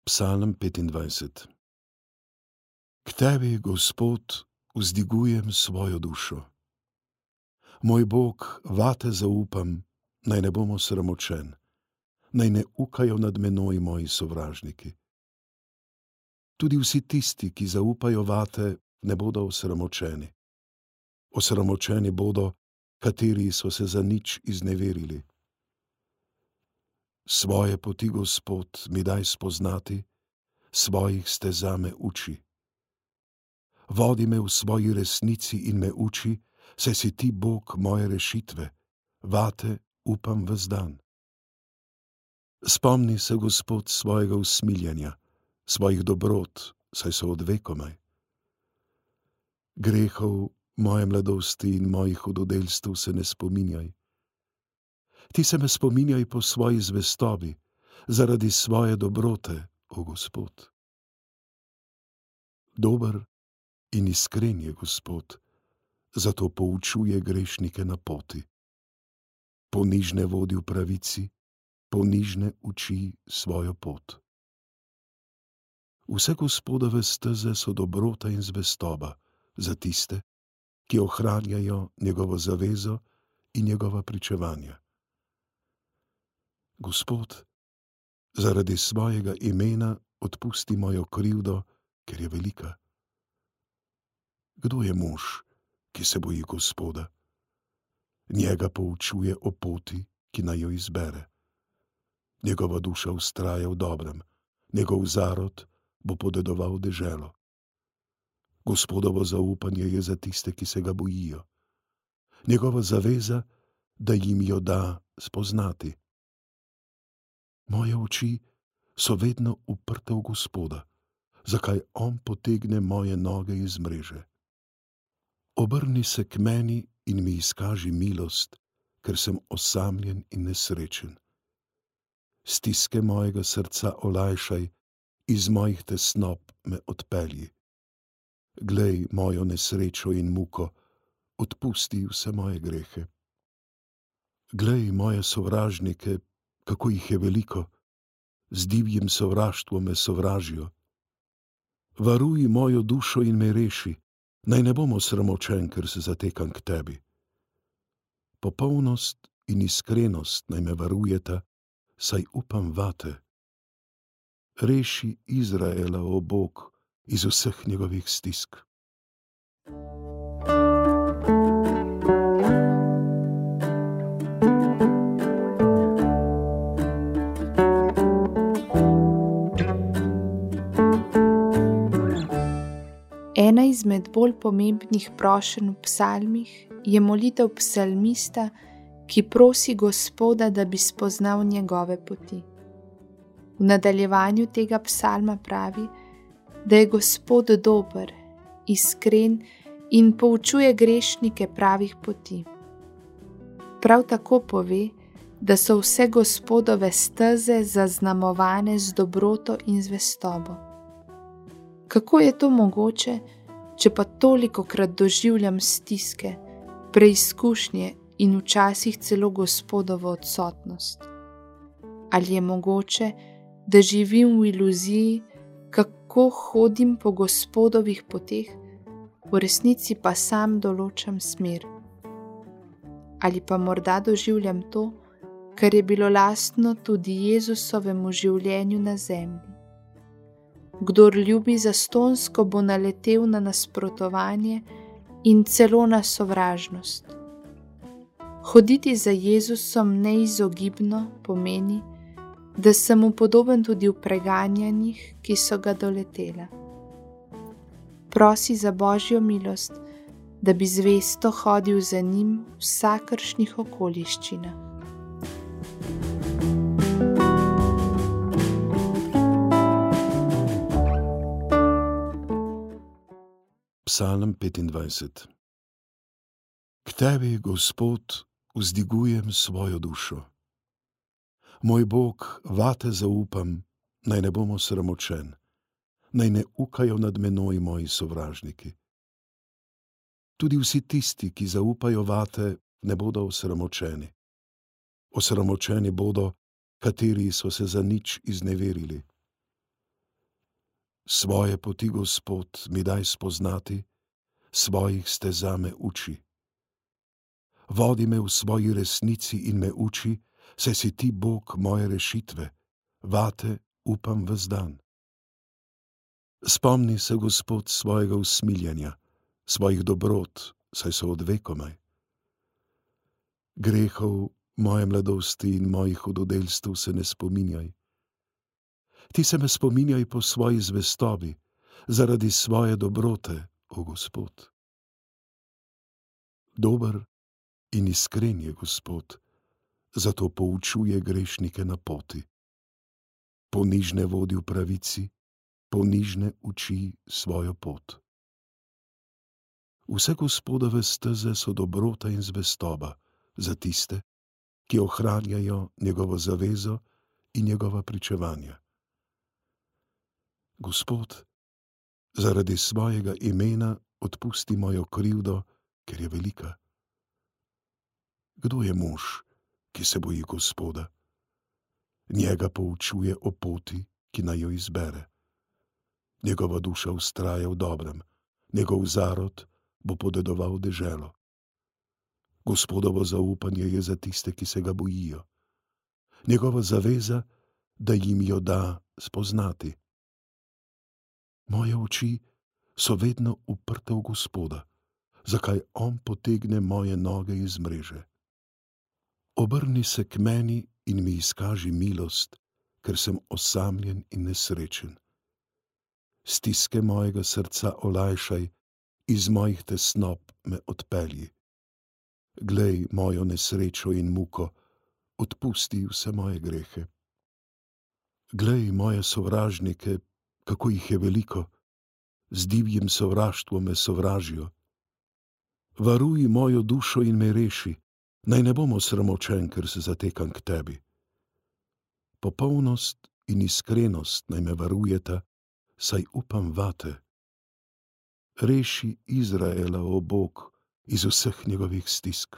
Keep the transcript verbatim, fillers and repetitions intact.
Psalm petindvajset. K tebi, Gospod, vzdigujem svojo dušo. Moj Bog, vate zaupam, naj ne bom osramočen, naj ne ukajo nad menoj moji sovražniki. Tudi vsi tisti, ki zaupajo vate, ne bodo osramočeni. Osramočeni bodo, kateri so se za nič izneverili. Svoje poti, Gospod, mi daj spoznati, svojih steza me uči. Vodi me v svoji resnici in me uči, saj si ti Bog moje rešitve, vate upam ves dan. Spomni se, Gospod, svojega usmiljenja, svojih dobrot, saj so od vekomaj. Grehov moje mladosti in mojih hudodelstev se ne spominjaj. Ti se me spominjaj po svoji zvestobi, zaradi svoje dobrote, o Gospod. Dober in iskren je Gospod, zato poučuje grešnike na poti. Ponižne vodi v pravici, ponižne uči svojo pot. Vse Gospodove steze so dobrota in zvestoba za tiste, ki ohranjajo njegovo zavezo in njegova pričevanja. Gospod, zaradi svojega imena odpusti mojo krivdo, ker je velika. Kdo je mož, ki se boji Gospoda? Njega poučuje o poti, ki naj jo izbere. Njegova duša vztraja v dobrem, njegov zarod bo podedoval deželo. Gospodovo zaupanje je za tiste, ki se ga bojijo. Njegova zaveza, da jim jo da spoznati. Moje oči so vedno uprte v Gospoda, zakaj on potegne moje noge iz mreže. Obrni se k meni in mi izkaži milost, ker sem osamljen in nesrečen. Stiske mojega srca olajšaj, iz mojih tesnob me odpelji. Glej mojo nesrečo in muko, odpusti vse moje grehe. Glej moje sovražnike, kako jih je veliko, z divjim sovraštvom me sovražijo. Varuj mojo dušo in me reši, naj ne bom osramočen, ker se zatekam k tebi. Popolnost in iskrenost naj me varujeta, saj upam vate. Reši Izraela, o Bog, iz vseh njegovih stisk. Ena izmed bolj pomembnih prošenj v psalmih je molitev psalmista, ki prosi Gospoda, da bi spoznal njegove poti. V nadaljevanju tega psalma pravi, da je Gospod dober, iskren in poučuje grešnike pravih poti. Prav tako pove, da so vse Gospodove steze zaznamovane z dobroto in zvestobo. Kako je to mogoče, če pa tolikokrat doživljam stiske, preizkušnje in včasih celo Gospodovo odsotnost? Ali je mogoče, da živim v iluziji, kako hodim po Gospodovih poteh, v resnici pa sam določam smer? Ali pa morda doživljam to, kar je bilo lastno tudi Jezusovemu življenju na zemlji? Kdor ljubi zastonjsko, bo naletel na nasprotovanje in celo na sovražnost. Hoditi za Jezusom neizogibno pomeni, da sem mu podoben tudi v preganjanjih, ki so ga doletela. Prosi za Božjo milost, da bi zvesto hodil za njim v vsakršnih okoliščinah. Psalm petindvajset. K tebi, Gospod, vzdigujem svojo dušo. Moj Bog, vate zaupam, naj ne bom osramočen, naj ne ukajo nad menoj moji sovražniki. Tudi vsi tisti, ki zaupajo vate, ne bodo osramočeni. Osramočeni bodo, kateri so se za nič izneverili. Svoje poti, Gospod, mi daj spoznati, svojih steza me uči. Vodi me v svoji resnici in me uči, saj si ti Bog moje rešitve, vate upam ves dan. Spomni se, Gospod, svojega usmiljenja, svojih dobrot, saj so od vekomaj. Grehov moje mladosti in mojih hudodelstv se ne spominjaj. Ti se me spominjaj po svoji zvestobi, zaradi svoje dobrote, o Gospod. Dober in iskren je Gospod, zato poučuje grešnike na poti. Ponižne vodi v pravici, ponižne uči svojo pot. Vse Gospodove steze so dobrota in zvestoba za tiste, ki ohranjajo njegovo zavezo in njegova pričevanja. Gospod, zaradi svojega imena odpusti mojo krivdo, ker je velika. Kdo je mož, ki se boji Gospoda? Njega poučuje o poti, ki naj jo izbere. Njegova duša vztraja v dobrem, njegov zarod bo podedoval deželo. Gospodovo zaupanje je za tiste, ki se ga bojijo. Njegova zaveza, da jim jo da spoznati. Moje oči so vedno uprte v Gospoda, zakaj on potegne moje noge iz mreže. Obrni se k meni in mi izkaži milost, ker sem osamljen in nesrečen. Stiske mojega srca olajšaj, iz mojih tesnob me odpelji. Glej mojo nesrečo in muko, odpusti vse moje grehe. Glej moje sovražnike, kako jih je veliko, z divjim sovraštvom me sovražijo. Varuj mojo dušo in me reši, naj ne bom osramočen, ker se zatekam k tebi. Popolnost in iskrenost naj me varujeta, saj upam vate. Reši Izraela, o Bog, iz vseh njegovih stisk.